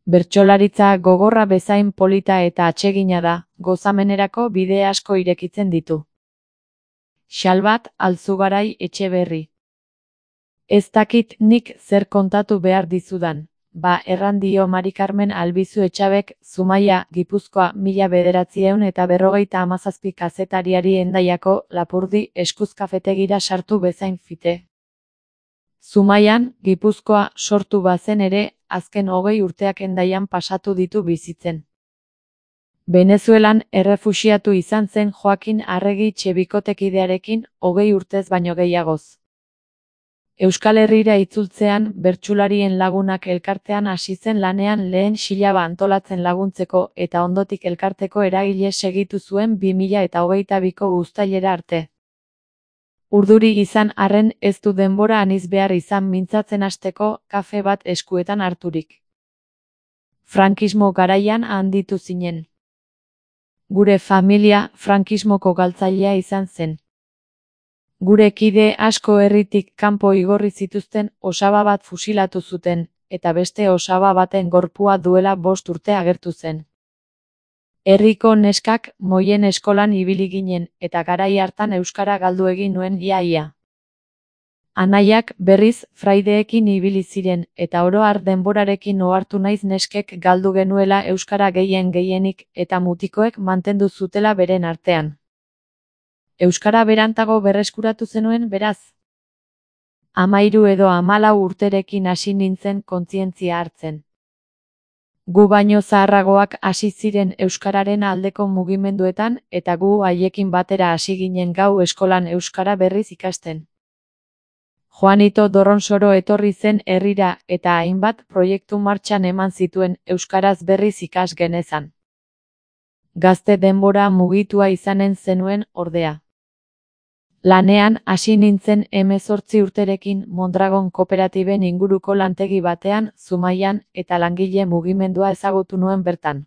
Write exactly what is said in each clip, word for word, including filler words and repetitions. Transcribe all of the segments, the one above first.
Bertsolaritza gogorra bezain polita eta atsegina da, gozamenerako bide asko irekitzen ditu. Xalbat Alzugarai Etxeberri. Ez dakit nik zer kontatu behar dizudan, ba erran dio Mari Karmen Albizu Etxabek, Zumaia, Gipuzkoa, mila bederatziehun eta berrogeita hamazazpi kazetariari Hendaiako Lapurdi eskuzkafetegira sartu bezain fite. Zumaian, Gipuzkoa, sortu bazen ere, azken hogei urteak Hendaian pasatu ditu bizitzen. Venezuelan errefuxiatu izan zen Joakin Arregi Txebikotekidearekin, hogei urtez baino gehiagoz. Euskal Herrira itzultzean, Bertsularien Lagunak elkartean hasi zen lanean lehen xilaba antolatzen laguntzeko eta ondotik elkarteko eragile segitu zuen bi mila eta hogeita biko uztailera arte. Urduri izan arren ez du denbora aniz behar izan mintzatzen hasteko kafe bat eskuetan harturik. Frankismo garaian handitu zinen. Gure familia frankismoko galtzailea izan zen. Gure kide asko herritik kanpo igorri zituzten osaba bat fusilatu zuten, eta beste osaba baten gorpua duela bost urte agertu zen. Herriko neskak moien eskolan ibili ginen, eta garai hartan euskara galdu egin nuen ia-ia. Anaiak berriz fraideekin ibili ziren, eta oro har denborarekin ohartu naiz neskek galdu genuela euskara gehien gehienik, eta mutikoek mantendu zutela beren artean. Euskara berantago berreskuratu zenuen beraz? Hamairu edo hamalau urterekin hasi nintzen kontzientzia hartzen. Gu baino zaharragoak hasi ziren euskararen aldeko mugimenduetan eta gu haiekin batera hasi ginen gau eskolan euskara berriz ikasten. Juanito Dorronsoro etorri zen herrira eta hainbat proiektu martxan eman zituen euskaraz berriz ikas genezan. Gazte denbora mugitua izanen zenuen ordea. Lanean hasi nintzen hemezortzi urterekin Mondragon kooperatiben inguruko lantegi batean, Zumaian, eta langile mugimendua ezagutu nuen bertan.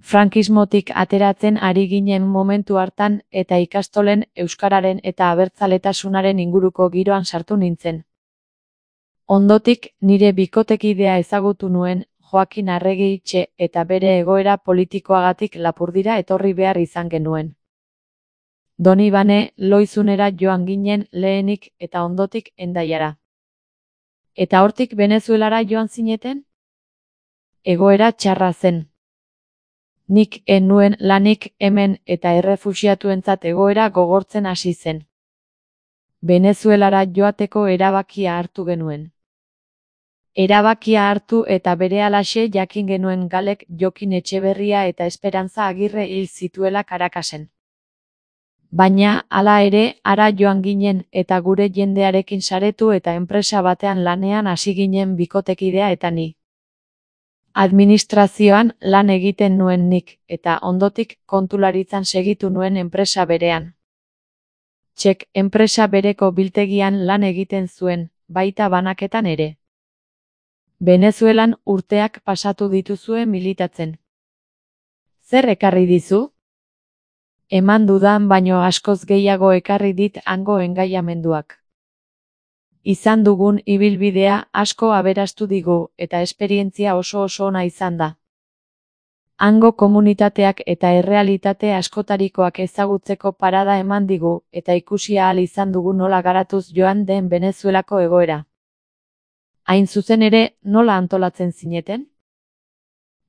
Frankismotik ateratzen ari ginen momentu hartan eta ikastolen euskararen eta abertzaletasunaren inguruko giroan sartu nintzen. Ondotik nire bikotekidea ezagutu nuen, Joakin Arregi Itxe, eta bere egoera politikoagatik Lapurdira etorri behar izan genuen. Donibane, Loizunera joan ginen lehenik eta ondotik Hendaiara. Eta hortik Venezuelara joan zineten? Egoera txarra zen. Nik ez nuen lanik hemen eta errefuxiatuentzat egoera gogortzen hasi zen. Venezuelara joateko erabakia hartu genuen. Erabakia hartu eta berehalaxe jakin genuen Galek Jokin Etxeberria eta Esperantza Agirre hil zituela Carakasen. Baina, hala ere, hara joan ginen eta gure jendearekin saretu eta enpresa batean lanean hasi ginen bikotekidea eta ni. Administrazioan lan egiten nuen nik, eta ondotik kontularitzan segitu nuen enpresa berean. Txek enpresa bereko biltegian lan egiten zuen, baita banaketan ere. Venezuelan urteak pasatu dituzue militatzen. Zer ekarri dizu? Eman dudan baino askoz gehiago ekarri dit hango engaiamenduak. Izan dugun ibilbidea asko aberastu digu eta esperientzia oso oso ona izan da. Hango komunitateak eta errealitate askotarikoak ezagutzeko parada eman digu eta ikusi ahal izan dugu nola garatuz joan den Venezuelako egoera. Hain zuzen ere, nola antolatzen zineten?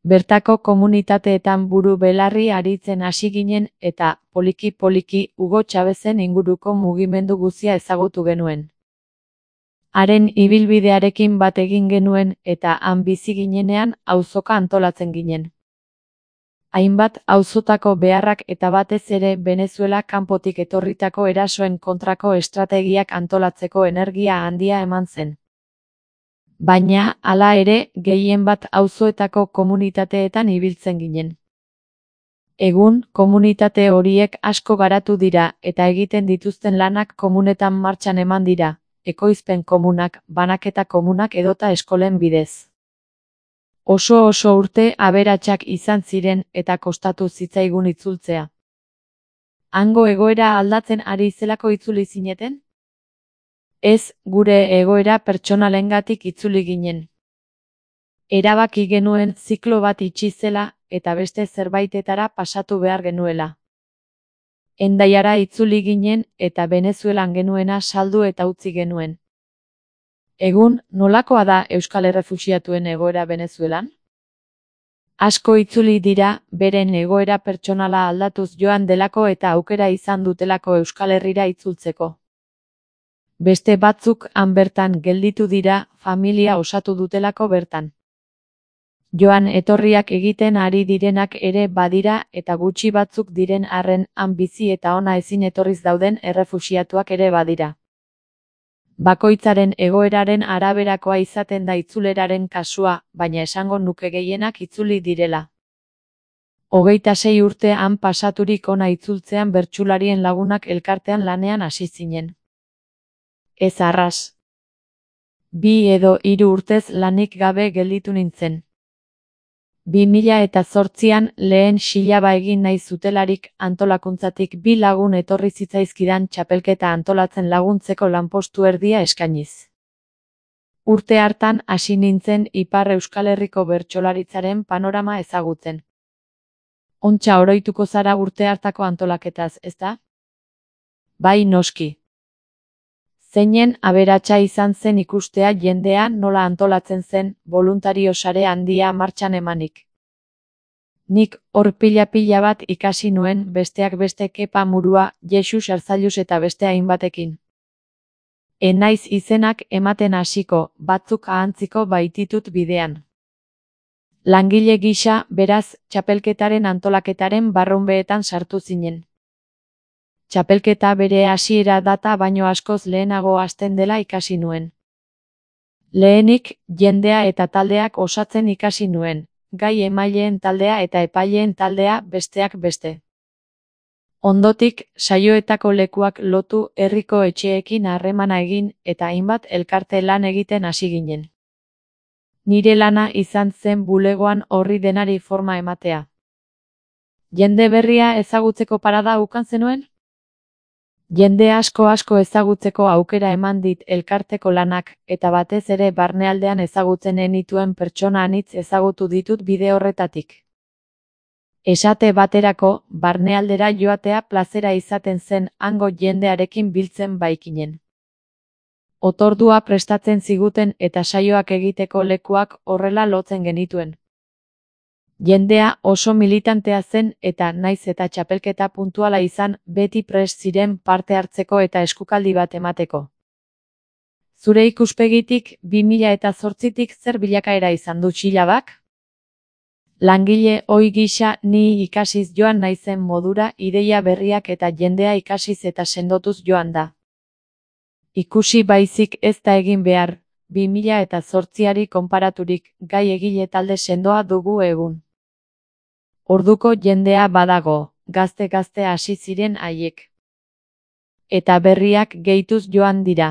Bertako komunitateetan buru belarri aritzen hasi ginen eta, poliki-poliki, Hugo Chavezen inguruko mugimendu guzia ezagutu genuen. Haren ibilbidearekin bat egin genuen eta han bizi ginenean auzoka antolatzen ginen. Hainbat auzotako beharrak eta batez ere Venezuela kanpotik etorritako erasoen kontrako estrategiak antolatzeko energia handia eman zen. Baina, hala ere, gehien bat auzoetako komunitateetan ibiltzen ginen. Egun, komunitate horiek asko garatu dira eta egiten dituzten lanak komunetan martxan eman dira, ekoizpen komunak, banaketa komunak edota eskolen bidez. Oso oso urte aberatsak izan ziren eta kostatu zitzaigun itzultzea. Hango egoera aldatzen ari zelako itzuli zineten? Ez, gure egoera pertsonalengatik itzuli ginen. Erabaki genuen ziklo bat itxi zela eta beste zerbaitetara pasatu behar genuela. Hendaiara itzuli ginen eta Venezuelan genuena saldu eta utzi genuen. Egun, nolakoa da euskal errefuxiatuen egoera Venezuelan? Asko itzuli dira, beren egoera pertsonala aldatuz joan delako eta aukera izan dutelako Euskal Herrira itzultzeko. Beste batzuk han bertan gelditu dira, familia osatu dutelako bertan. Joan etorriak egiten ari direnak ere badira eta gutxi batzuk diren arren han bizi eta ona ezin etorriz dauden errefuxiatuak ere badira. Bakoitzaren egoeraren araberakoa izaten da itzuleraren kasua, baina esango nuke gehienak itzuli direla. Hogeita sei urte han pasaturik ona itzultzean bertsularien lagunak elkartean lanean hasi zinen. Ez arras. Bi edo hiru urtez lanik gabe gelditu nintzen. Bi mila eta zortzian lehen xilaba egin nahi zutelarik antolakuntzatik bi lagun etorri zitzaizkidan txapelketa antolatzen laguntzeko lanpostu erdia eskainiz. Urte hartan hasi nintzen Ipar Euskal Herriko bertsolaritzaren panorama ezagutzen. Ontsa oroituko zara urte hartako antolaketaz, ezta? Bai noski. Zeinen aberatsa izan zen ikustea jendea nola antolatzen zen, boluntario sare handia martxan emanik. Nik hor pila-pila bat ikasi nuen, besteak beste Kepa Murua, Jesus Arzallus eta beste hainbatekin. Enaiz izenak ematen hasiko, batzuk ahantziko baititut bidean. Langile gisa, beraz, txapelketaren antolaketaren barrunbeetan sartu zinen. Txapelketa bere hasiera data baino askoz lehenago hasten dela ikasi nuen. Lehenik, jendea eta taldeak osatzen ikasi nuen, gai emaileen taldea eta epaileen taldea besteak beste. Ondotik, saioetako lekuak lotu herriko etxeekin harremana egin eta hainbat elkarte lan egiten hasi ginen. Nire lana izan zen bulegoan horri denari forma ematea. Jende berria ezagutzeko parada ukan zenuen? Jende asko asko ezagutzeko aukera eman dit elkarteko lanak, eta batez ere barnealdean ezagutzen enituen pertsona anitz ezagutu ditut bide horretatik. Esate baterako, barnealdera joatea plazera izaten zen hango jendearekin biltzen baikinen. Otordua prestatzen ziguten eta saioak egiteko lekuak horrela lotzen genituen. Jendea oso militantea zen eta naiz eta txapelketa puntuala izan beti prest ziren parte hartzeko eta eskukaldi bat emateko. Zure ikuspegitik bi mila eta zortzitik zer bilakaera izan du xilabak? Langile ohi gisa ni ikasiz joan naizen modura ideia berriak eta jendea ikasiz eta sendotuz joan da. Ikusi baizik ez da egin behar, bi mila eta zortziari konparaturik gai egile talde sendoa dugu egun. Orduko jendea badago, gazte-gazte hasi ziren haiek. Eta berriak gehituz joan dira.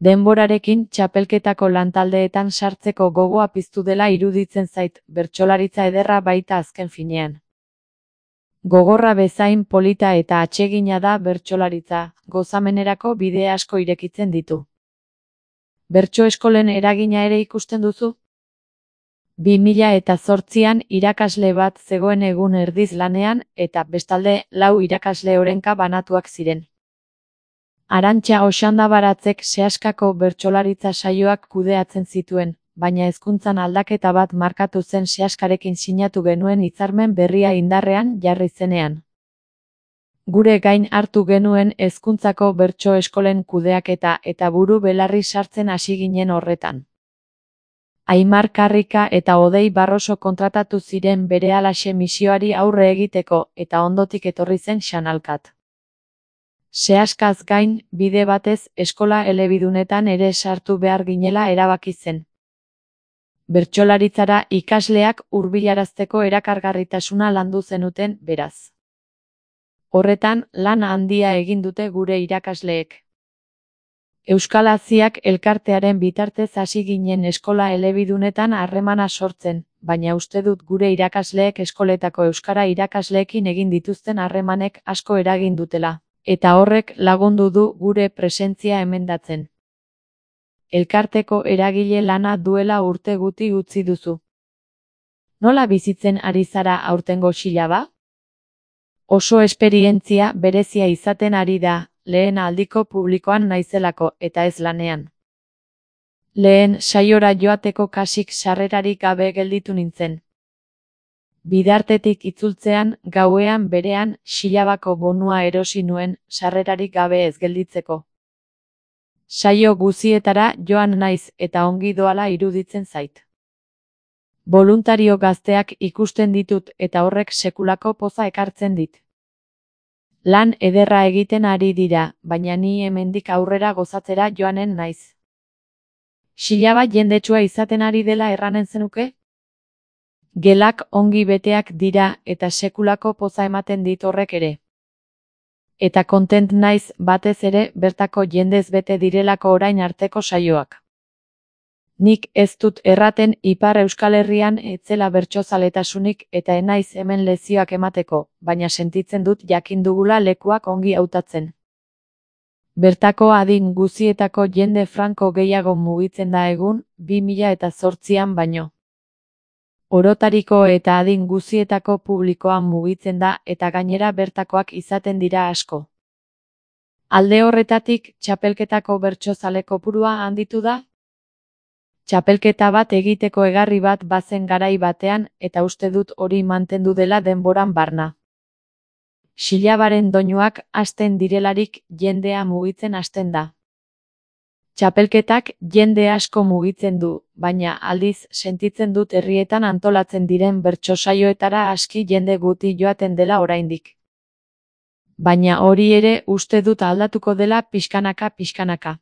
Denborarekin txapelketako lantaldeetan sartzeko gogoa piztu dela iruditzen zait, bertsolaritza ederra baita azken finean. Gogorra bezain polita eta atsegina da bertsolaritza, gozamenerako bide asko irekitzen ditu. Bertso eskolen eragina ere ikusten duzu? Bi mila eta zortzian irakasle bat zegoen egun erdiz lanean eta bestalde lau irakasle orenka banatuak ziren. Arantxa Oxandabaratzek sehaskako bertsolaritza saioak kudeatzen zituen, baina hezkuntzan aldaketa bat markatu zen sehaskarekin sinatu genuen hitzarmen berria indarrean jarri zenean. Gure gain hartu genuen hezkuntzako bertso eskolen kudeaketa eta buru belarri sartzen hasi ginen horretan. Aimar Karrika eta Odei Barroso kontratatu ziren berehalaxe misioari aurre egiteko eta ondotik etorri zen Xanalkat. Sehaskaz gain, bide batez eskola elebidunetan ere sartu behar ginela erabaki zen. Bertsolaritzara ikasleak hurbilarazteko erakargarritasuna landu zenuten, beraz. Horretan, lan handia egin dute gure irakasleek. Euskal Aziak elkartearen bitartez hasi ginen eskola elebidunetan harremana sortzen, baina uste dut gure irakasleek eskoletako euskara irakasleekin egin dituzten harremanek asko eragin dutela, eta horrek lagundu du gure presentzia emendatzen. elkarteko eragile lana duela urte guti utzi duzu. Nola bizitzen ari zara aurtengo xilaba? Oso esperientzia berezia izaten ari da, lehen aldiko publikoan naizelako eta ez lanean. Lehen saiora joateko kasik sarrerarik gabe gelditu nintzen. Bidartetik itzultzean, gauean berean, xilabako bonua erosi nuen, sarrerarik gabe ez gelditzeko. Saio guzietara joan naiz eta ongi doala iruditzen zait. Boluntario gazteak ikusten ditut eta horrek sekulako poza ekartzen dit. Lan ederra egiten ari dira, baina ni hemendik aurrera gozatzera joanen naiz. Xilaba jendetsua izaten ari dela erranen zenuke? Gelak ongi beteak dira eta sekulako poza ematen dit horrek ere. Eta kontent naiz batez ere bertako jendez bete direlako orain arteko saioak. Nik ez dut erraten Ipar Euskal Herrian etzela bertsozaletasunik eta enaiz hemen lezioak emateko, baina sentitzen dut jakin dugula lekuak ongi hautatzen. Bertako adin guzietako jende franko gehiago mugitzen da egun, bi mila eta zortzian baino. Orotariko eta adin guzietako publikoa mugitzen da eta gainera bertakoak izaten dira asko. Alde horretatik, txapelketako bertsozale kopurua handitu da? Txapelketa bat egiteko egarri bat bazen garai batean eta uste dut hori mantendu dela denboran barna. Xilabaren doinuak hasten direlarik jendea mugitzen hasten da. Txapelketak jende asko mugitzen du, baina aldiz sentitzen dut herrietan antolatzen diren bertsosaioetara aski jende guti joaten dela oraindik. Baina hori ere uste dut aldatuko dela pixkanaka pixkanaka.